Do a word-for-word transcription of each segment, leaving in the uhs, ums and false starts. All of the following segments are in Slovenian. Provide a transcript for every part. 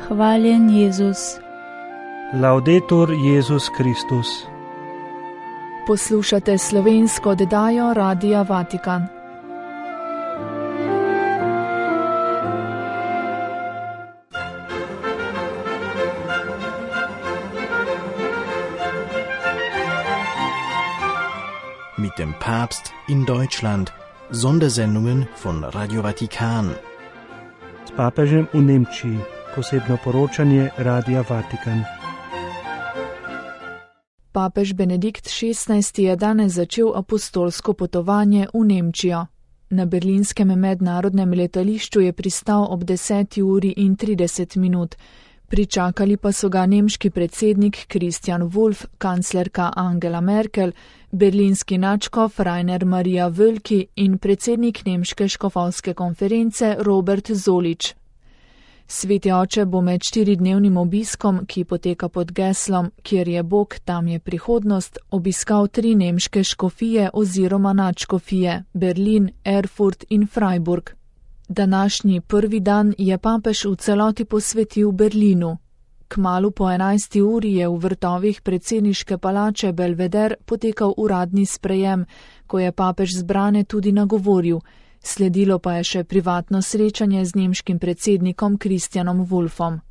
Hvaljen Jezus. Laudetur Jezus Kristus. Poslušate slovensko oddajo Radia Vatikan. Mit dem Papst in Deutschland. Sondersendungen von Radio Vatikan. S papežem v Nemčiji. Posebno poročanje Radia Vatikan. Papež Benedikt šestnajsti je danes začel apostolsko potovanje v Nemčijo. Na berlinskem mednarodnem letališču je pristal ob deseti uri in trideset minut. Pričakali pa so ga nemški predsednik Christian Wulff, kanclerka Angela Merkel, berlinski nadškof Rainer Maria Wölki in predsednik nemške škofovske konference Robert Zollitsch. Sveti oče bo med štiridnevnim obiskom, ki poteka pod geslom Kjer je Bog, tam je prihodnost, obiskal tri nemške škofije oziroma nadškofije Berlin, Erfurt in Freiburg. Današnji prvi dan je papež v celoti posvetil Berlinu. Kmalu po enajsti uri je v vrtovih predsedniške palače Belvedere potekal uradni sprejem, ko je papež zbrane tudi nagovoril. Sledilo pa je še privatno srečanje z nemškim predsednikom Christianom Wulffom.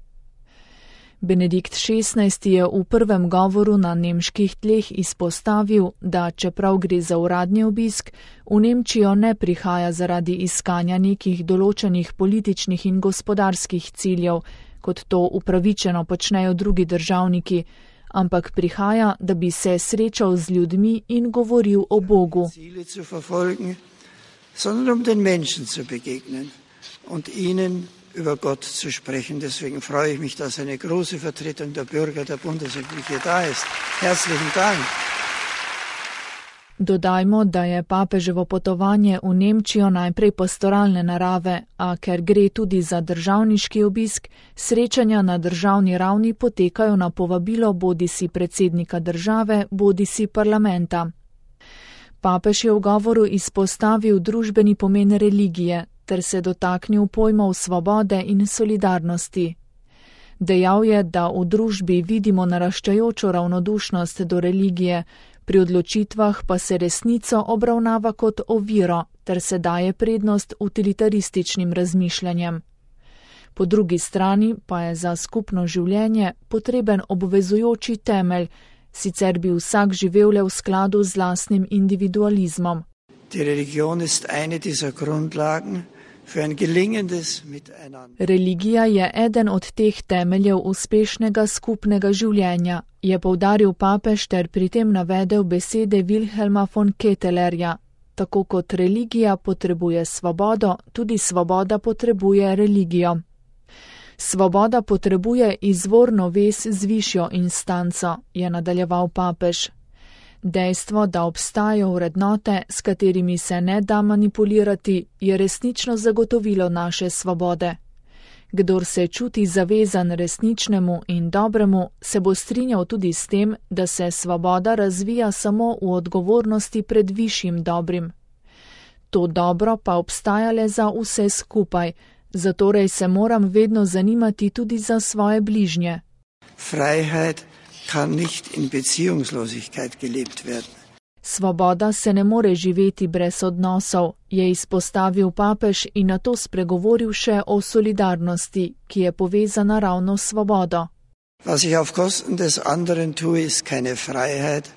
Benedikt šestnajsti je v prvem govoru na nemških tleh izpostavil, da čeprav gre za uradni obisk, v Nemčijo ne prihaja zaradi iskanja nekih določenih političnih in gospodarskih ciljev, kot to upravičeno počnejo drugi državniki, ampak prihaja, da bi se srečal z ljudmi in govoril o Bogu. Sondern um den Menschen zu begegnen und ihnen über Gott zu sprechen. Deswegen freue ich mich, dass eine große Vertretung der Bürger der Bundesrepublik da ist. Herzlichen Dank. Dodajmo, da je papeževo potovanje v Nemčijo najprej pastoralne narave, a ker gre tudi za državniški obisk, srečanja na državni ravni potekajo na povabilo bodisi predsednika države, bodisi parlamenta. Papež je v govoru izpostavil družbeni pomen religije ter se dotaknil pojmov svobode in solidarnosti. Dejal je, da v družbi vidimo naraščajočo ravnodušnost do religije, pri odločitvah pa se resnico obravnava kot oviro ter se daje prednost utilitarističnim razmišljanjem. Po drugi strani pa je za skupno življenje potreben obvezujoči temelj, sicer bi vsak živel le v skladu z lastnim individualizmom. Religija je eden od teh temeljev uspešnega skupnega življenja, je poudaril papež ter pri tem navedel besede Wilhelma von Kettelerja. Tako kot religija potrebuje svobodo, tudi svoboda potrebuje religijo. Svoboda potrebuje izvorno vez z višjo instanco, je nadaljeval papež. Dejstvo, da obstajajo vrednote, s katerimi se ne da manipulirati, je resnično zagotovilo naše svobode. Kdor se čuti zavezan resničnemu in dobremu, se bo strinjal tudi s tem, da se svoboda razvija samo v odgovornosti pred višjim dobrim. To dobro pa obstaja le za vse skupaj, zatorej se moram vedno zanimati tudi za svoje bližnje. Freiheit kann nicht in Beziehungslosigkeit gelebt werden. Svoboda se ne more živeti brez odnosov, je izpostavil papež in nato spregovoril še o solidarnosti, ki je povezana ravno s svobodo. Was ich auf Kosten des anderen tue, ist keine Freiheit,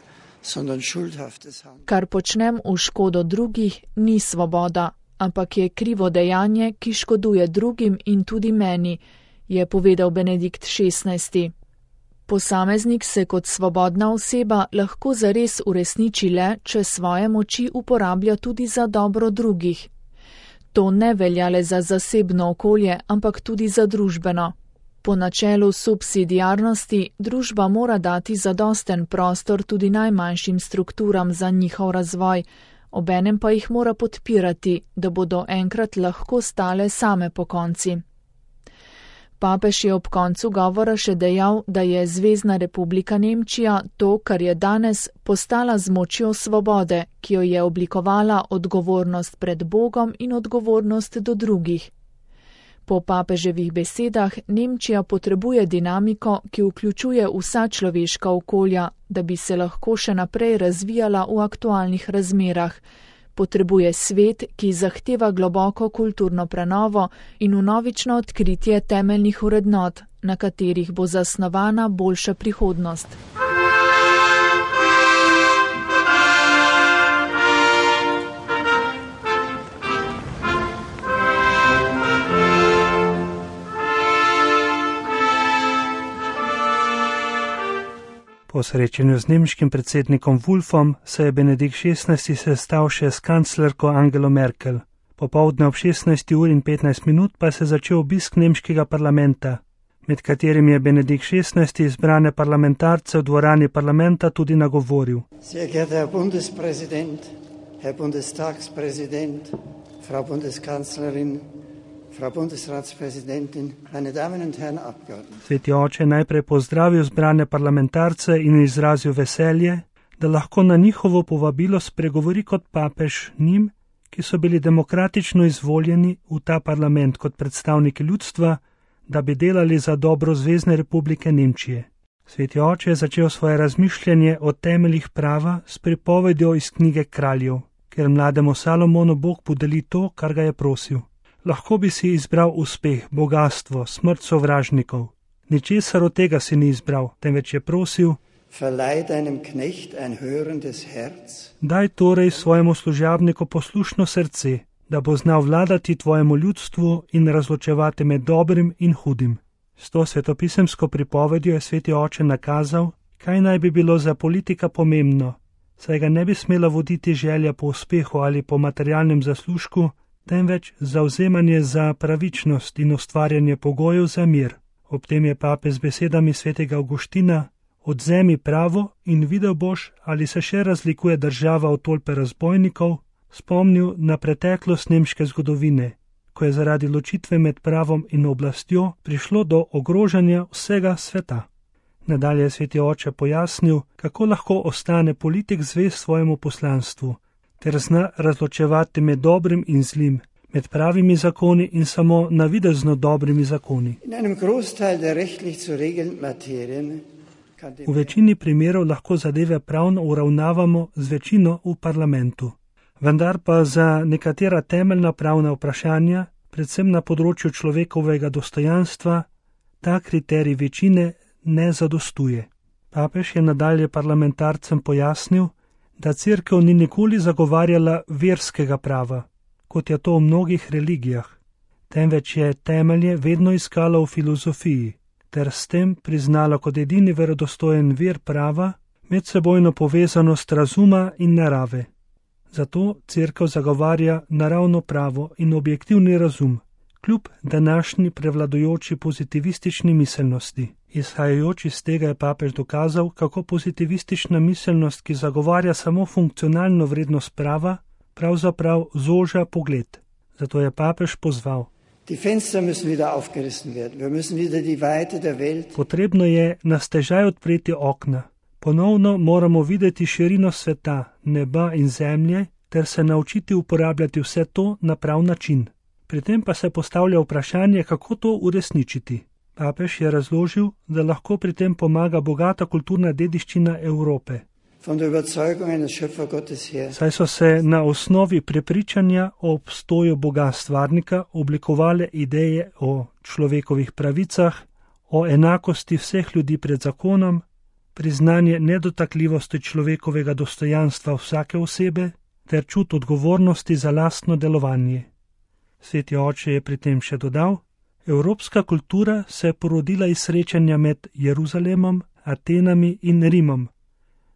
sondern schuldhaftes Handeln. Kar počnem v škodo drugih, ni svoboda, ampak je krivo dejanje, ki škoduje drugim in tudi meni, je povedal Benedikt šestnajsti. Posameznik se kot svobodna oseba lahko zares uresniči le, če svoje moči uporablja tudi za dobro drugih. To ne velja le za zasebno okolje, ampak tudi za družbeno. Po načelu subsidiarnosti družba mora dati zadosten prostor tudi najmanjšim strukturam za njihov razvoj, obenem pa jih mora podpirati, da bodo enkrat lahko stale same pokonci. Papež je ob koncu govora še dejal, da je Zvezna republika Nemčija to, kar je danes, postala z močjo svobode, ki jo je oblikovala odgovornost pred Bogom in odgovornost do drugih. Po papeževih besedah Nemčija potrebuje dinamiko, ki vključuje vsa človeška okolja, da bi se lahko še naprej razvijala v aktualnih razmerah. Potrebuje svet, ki zahteva globoko kulturno prenovo in vnovično odkritje temeljnih vrednot, na katerih bo zasnovana boljša prihodnost. Po srečanju z nemškim predsednikom Wolfom se je Benedikt šestnajsti sestal še s kanclerko Angelo Merkel. Popoldne ob šestnajsti uri in petnajst minut pa se je začel obisk nemškega parlamenta, med katerim je Benedikt šestnajsti izbrane parlamentarce v dvorani parlamenta tudi nagovoril. Sehr geehrter Herr Bundespräsident, Herr Bundestagspräsident, Frau Bundeskanzlerin, Frau Bundesratspräsidentin, meine Damen und Herren Abgeordneten. Sveti oče najprej pozdravil zbrane parlamentarce in izrazil veselje, da lahko na njihovo povabilo spregovori kot papež njim, ki so bili demokratično izvoljeni v ta parlament kot predstavniki ljudstva, da bi delali za dobro Zvezne republike Nemčije. Sveti oče je začel svoje razmišljanje o temeljih prava s pripovedjo iz knjige Kraljev, ker mlademu Salomonu Bog podeli to, kar ga je prosil. Lahko bi si izbral uspeh, bogastvo, smrt sovražnikov. Ničesar od tega si ni izbral, temveč je prosil: Verleih deinem Knecht ein hörendes Herz. Daj torej svojemu služabniku poslušno srce, da bo znal vladati tvojemu ljudstvu in razločevati med dobrim in hudim. S to svetopisemsko pripovedjo je sveti oče nakazal, kaj naj bi bilo za politika pomembno, saj ga ne bi smela voditi želja po uspehu ali po materialnem zaslužku, temveč zavzemanje za pravičnost in ustvarjanje pogojev za mir. Ob tem je papež z besedami svetega Avguština: Odzemi pravo in videl boš, ali se še razlikuje država od tolpe razbojnikov, spomnil na preteklost nemške zgodovine, ko je zaradi ločitve med pravom in oblastjo prišlo do ogrožanja vsega sveta. Nadalje je sveti oče pojasnil, kako lahko ostane politik zvest svojemu poslanstvu, ter zna razločevati med dobrim in zlim, med pravimi zakoni in samo navidezno dobrimi zakoni. V večini primerov lahko zadeve pravno uravnavamo z večino v parlamentu. Vendar pa za nekatera temeljna pravna vprašanja, predvsem na področju človekovega dostojanstva, ta kriterij večine ne zadostuje. Papež je nadalje parlamentarcem pojasnil, da cerkev ni nikoli zagovarjala verskega prava, kot je to v mnogih religijah, temveč je temelje vedno iskala v filozofiji, ter s tem priznala kot edini verodostojen vir prava medsebojno povezanost razuma in narave. Zato cerkev zagovarja naravno pravo in objektivni razum, kljub današnji prevladujoči pozitivistični miselnosti. Izhajajoč iz tega je papež dokazal, kako pozitivistična miselnost, ki zagovarja samo funkcionalno vrednost prava, pravzaprav zoža pogled. Zato je papež pozval: Potrebno je na stežaj odpreti okna. Ponovno moramo videti širino sveta, neba in zemlje, ter se naučiti uporabljati vse to na prav način. Pri tem pa se postavlja vprašanje, kako to uresničiti. Papež je razložil, da lahko pri tem pomaga bogata kulturna dediščina Evrope. Saj so se na osnovi prepričanja o obstoju Boga stvarnika oblikovale ideje o človekovih pravicah, o enakosti vseh ljudi pred zakonom, priznanje nedotakljivosti človekovega dostojanstva vsake osebe ter čut odgovornosti za lastno delovanje. Sveti oče je pri tem še dodal: Evropska kultura se je porodila iz srečanja med Jeruzalemom, Atenami in Rimom,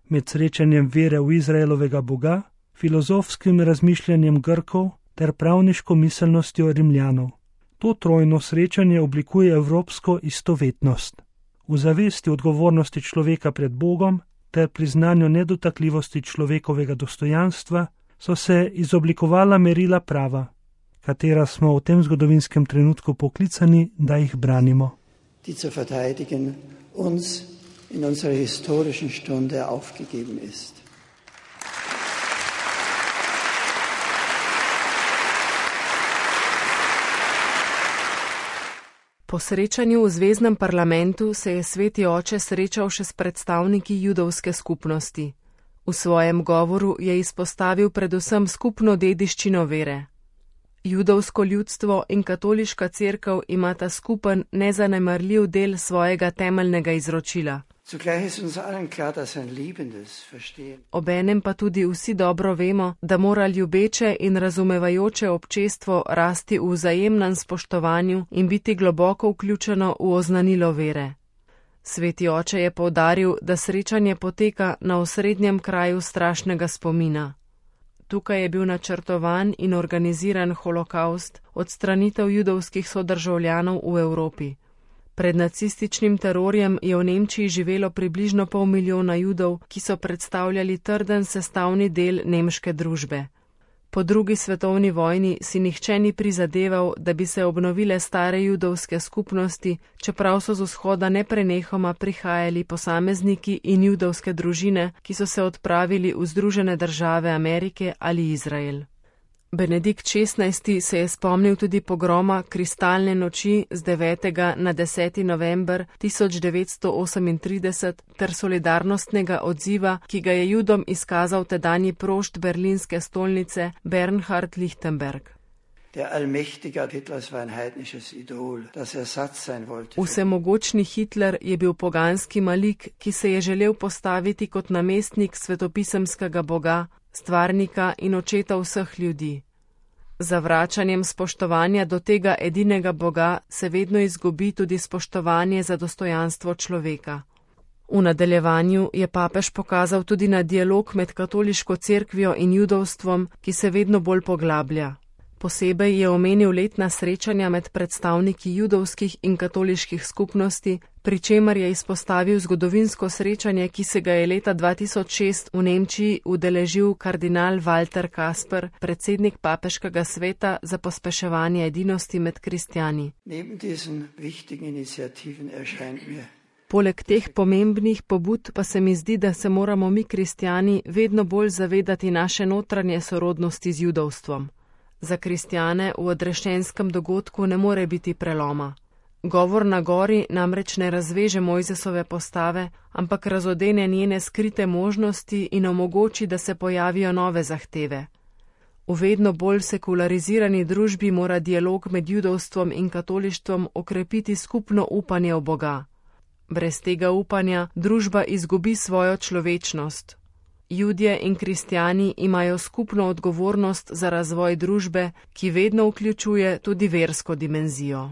med srečanjem vere v Izraelovega Boga, filozofskim razmišljanjem Grkov ter pravniško miselnostjo Rimljanov. To trojno srečanje oblikuje evropsko istovetnost. V zavesti odgovornosti človeka pred Bogom ter priznanju nedotakljivosti človekovega dostojanstva so se izoblikovala merila prava, katera smo v tem zgodovinskem trenutku poklicani, da jih branimo. Die zu verteidigen uns in unserer historischen Stunde aufgegeben ist. Po srečanju v zvezdnem parlamentu se je sveti oče srečal še s predstavniki judovske skupnosti. V svojem govoru je izpostavil predvsem skupno dediščino vere. Judovsko ljudstvo in katoliška cerkev imata skupen nezanemarljiv del svojega temeljnega izročila. Obenem pa tudi vsi dobro vemo, da mora ljubeče in razumevajoče občestvo rasti v vzajemnem spoštovanju in biti globoko vključeno v oznanilo vere. Sveti oče je poudaril, da srečanje poteka na osrednjem kraju strašnega spomina. Tukaj je bil načrtovan in organiziran holokavst, odstranitev judovskih sodržavljanov v Evropi. Pred nacističnim terorjem je v Nemčiji živelo približno pol milijona Judov, ki so predstavljali trden sestavni del nemške družbe. Po drugi svetovni vojni si nihče ni prizadeval, da bi se obnovile stare judovske skupnosti, čeprav so z vzhoda neprenehoma prihajali posamezniki in judovske družine, ki so se odpravili v Združene države Amerike ali Izrael. Benedikt šestnajsti se je spomnil tudi pogroma kristalne noči z devetega na deseti november tisoč devetsto osemintrideset ter solidarnostnega odziva, ki ga je Judom izkazal tedanji prošt berlinske stolnice Bernhard Lichtenberg. Vsemogočni Hitler je bil poganski malik, ki se je želel postaviti kot namestnik svetopisemskega boga, stvarnika in očeta vseh ljudi. Za vračanjem spoštovanja do tega edinega Boga se vedno izgubi tudi spoštovanje za dostojanstvo človeka. V nadaljevanju je papež pokazal tudi na dialog med katoliško cerkvijo in judovstvom, ki se vedno bolj poglablja. Posebej je omenil letna srečanja med predstavniki judovskih in katoliških skupnosti, pri čemer je izpostavil zgodovinsko srečanje, ki se ga je leta dva tisoč šest v Nemčiji udeležil kardinal Walter Kasper, predsednik papeškega sveta za pospeševanje edinosti med kristjani. Poleg teh pomembnih pobud pa se mi zdi, da se moramo mi kristjani vedno bolj zavedati naše notranje sorodnosti z judovstvom. Za kristjane v odrešenskem dogodku ne more biti preloma. Govor na gori namreč ne razveže Mojzesove postave, ampak razodene njene skrite možnosti in omogoči, da se pojavijo nove zahteve. V vedno bolj sekularizirani družbi mora dialog med judovstvom in katolištvom okrepiti skupno upanje v Boga. Brez tega upanja družba izgubi svojo človečnost. Judje in kristjani imajo skupno odgovornost za razvoj družbe, ki vedno vključuje tudi versko dimenzijo.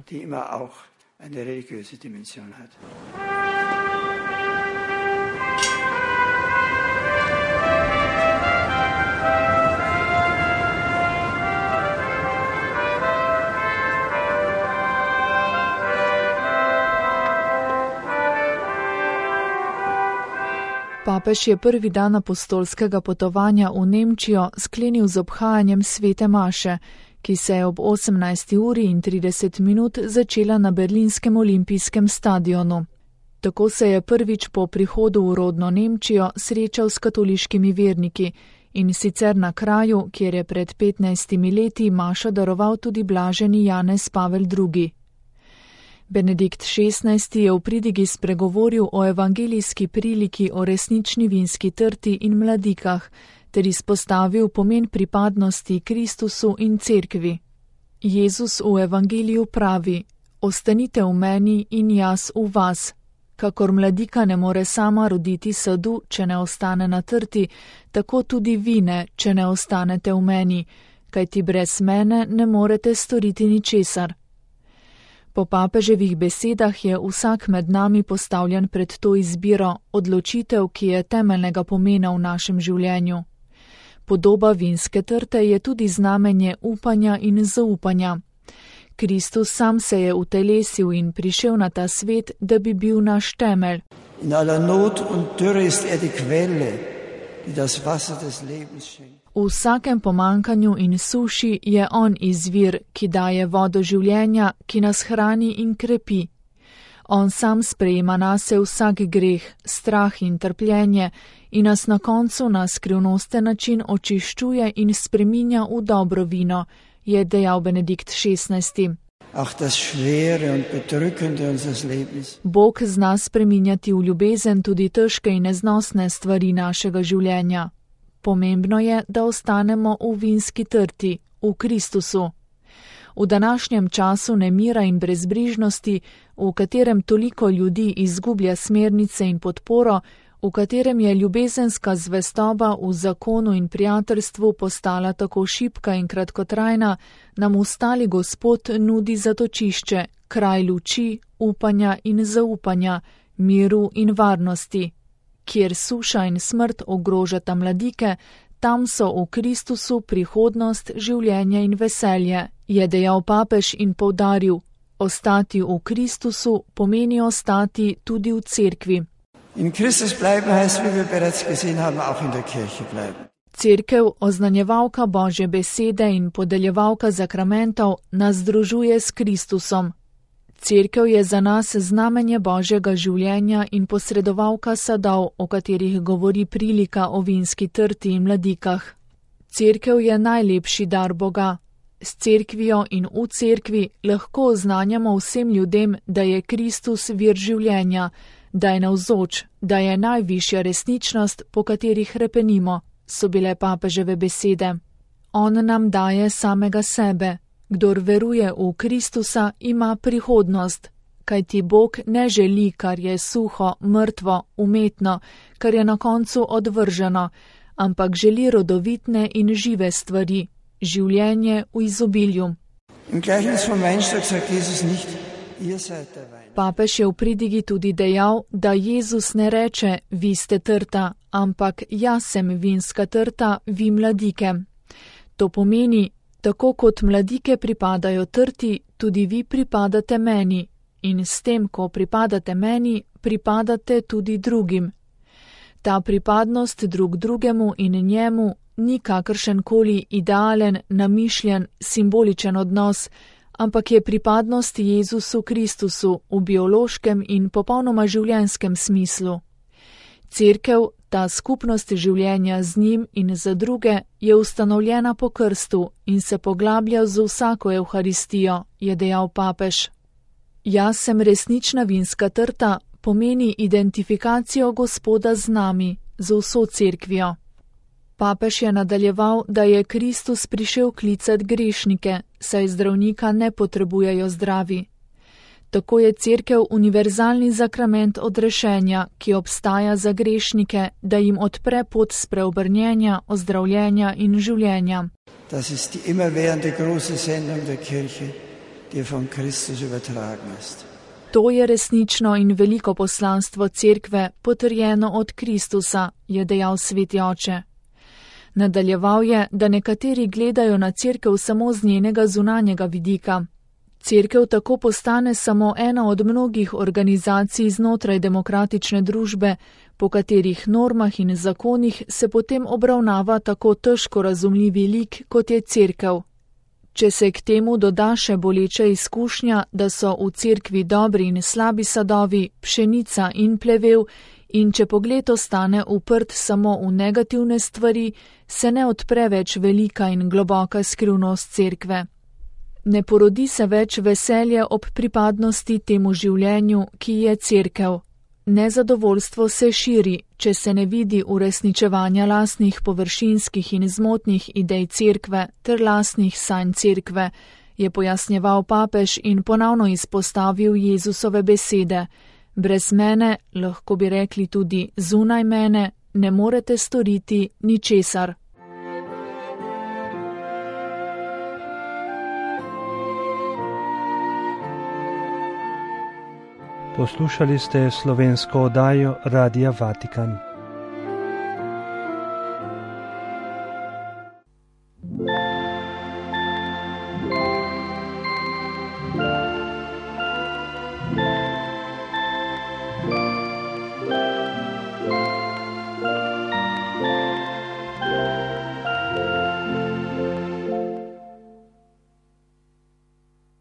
Papež je prvi dan apostolskega potovanja v Nemčijo sklenil z obhajanjem svete maše, ki se je ob osemnajsti uri in trideset minut začela na berlinskem olimpijskem stadionu. Tako se je prvič po prihodu v rodno Nemčijo srečal s katoliškimi verniki in sicer na kraju, kjer je pred petnajstimi leti mašo daroval tudi blaženi Janez Pavel drugi. Benedikt šestnajsti je v pridigi spregovoril o evangelijski priliki o resnični vinski trti in mladikah, ter izpostavil pomen pripadnosti Kristusu in cerkvi. Jezus v evangeliju pravi: "Ostanite v meni in jaz v vas." Kakor mladika ne more sama roditi sadu, če ne ostane na trti, tako tudi vi ne, če ne ostanete v meni, kajti brez mene ne morete storiti ničesar. Po papeževih besedah je vsak med nami postavljen pred to izbiro, odločitev, ki je temeljnega pomena v našem življenju. Podoba vinske trte je tudi znamenje upanja in zaupanja. Kristus sam se je utelesil in prišel na ta svet, da bi bil naš temelj. In aller Not und Dürre ist er die Quelle, die das Wasser des Lebens schenkt. V vsakem pomankanju in suši je on izvir, ki daje vodo življenja, ki nas hrani in krepi. On sam sprejema nase vsak greh, strah in trpljenje in nas na koncu na skrivnosten način očiščuje in spreminja v dobro vino, je dejal Benedikt šestnajsti. Auch das Schwere und Bedrückende unseres Lebens. Bog zna spreminjati v ljubezen tudi težke in neznosne stvari našega življenja. Pomembno je, da ostanemo v vinski trti, v Kristusu. V današnjem času nemira in brezbrižnosti, v katerem toliko ljudi izgublja smernice in podporo, v katerem je ljubezenska zvestoba v zakonu in prijateljstvu postala tako šibka in kratkotrajna, nam ustali Gospod nudi zatočišče, kraj luči, upanja in zaupanja, miru in varnosti. Kjer suša in smrt ogrožata mladike, tam so v Kristusu prihodnost, življenje in veselje, je dejal papež in poudaril, ostati v Kristusu pomeni ostati tudi v cerkvi. In Christus bleiben heißt, wie wir bereits gesehen haben, auch in der Kirche bleiben. Cerkev, oznanjevalka Božje besede in podeljevalka zakramentov, nas združuje s Kristusom. Cerkev je za nas znamenje Božjega življenja in posredovalka sadov, o katerih govori prilika o vinski trti in mladikah. Cerkev je najlepši dar Boga. S cerkvijo in v cerkvi lahko oznanjamo vsem ljudem, da je Kristus vir življenja, da je navzoč, da je najvišja resničnost, po kateri hrepenimo, so bile papeževe besede. On nam daje samega sebe. Kdor veruje v Kristusa, ima prihodnost, kajti Bog ne želi, kar je suho, mrtvo, umetno, kar je na koncu odvrženo, ampak želi rodovitne in žive stvari, življenje v izobilju. Papež je v pridigi tudi dejal, da Jezus ne reče, vi ste trta, ampak jaz sem vinska trta, vi mladike. To pomeni, tako kot mladike pripadajo trti, tudi vi pripadate meni, in s tem, ko pripadate meni, pripadate tudi drugim. Ta pripadnost drug drugemu in njemu ni kakršenkoli idealen, namišljen, simboličen odnos, ampak je pripadnost Jezusu Kristusu v biološkem in popolnoma življenjskem smislu. Cerkev, ta skupnost življenja z njim in za druge, je ustanovljena po krstu in se poglablja z vsako evharistijo, je dejal papež. Jaz sem resnična vinska trta pomeni identifikacijo Gospoda z nami, z vso cerkvijo. Papež je nadaljeval, da je Kristus prišel klicat grešnike, saj zdravnika ne potrebujejo zdravi. Tako je cerkev univerzalni zakrament odrešenja, ki obstaja za grešnike, da jim odpre pot spreobrnjenja, ozdravljenja in življenja. Das ist die immerwährende große Sendung der Kirche, die von Christus übertragen ist. To je resnično in veliko poslanstvo cerkve, potrjeno od Kristusa, je dejal sveti oče. Nadaljeval je, da nekateri gledajo na cerkev samo z njenega zunanjega vidika. Cerkev tako postane samo ena od mnogih organizacij znotraj demokratične družbe, po katerih normah in zakonih se potem obravnava tako težko razumljivi lik, kot je cerkev. Če se k temu doda še boleča izkušnja, da so v cerkvi dobri in slabi sadovi, pšenica in plevel, in če pogled ostane uprt samo v negativne stvari, se ne odpre več velika in globoka skrivnost cerkve. Ne porodi se več veselje ob pripadnosti temu življenju, ki je cerkev. Nezadovoljstvo se širi, če se ne vidi uresničevanja lastnih površinskih in zmotnih idej cerkve ter lastnih sanj cerkve, je pojasnjeval papež in ponovno izpostavil Jezusove besede. Brez mene, lahko bi rekli tudi zunaj mene, ne morete storiti ničesar. Poslušali ste slovensko oddajo Radia Vatikan.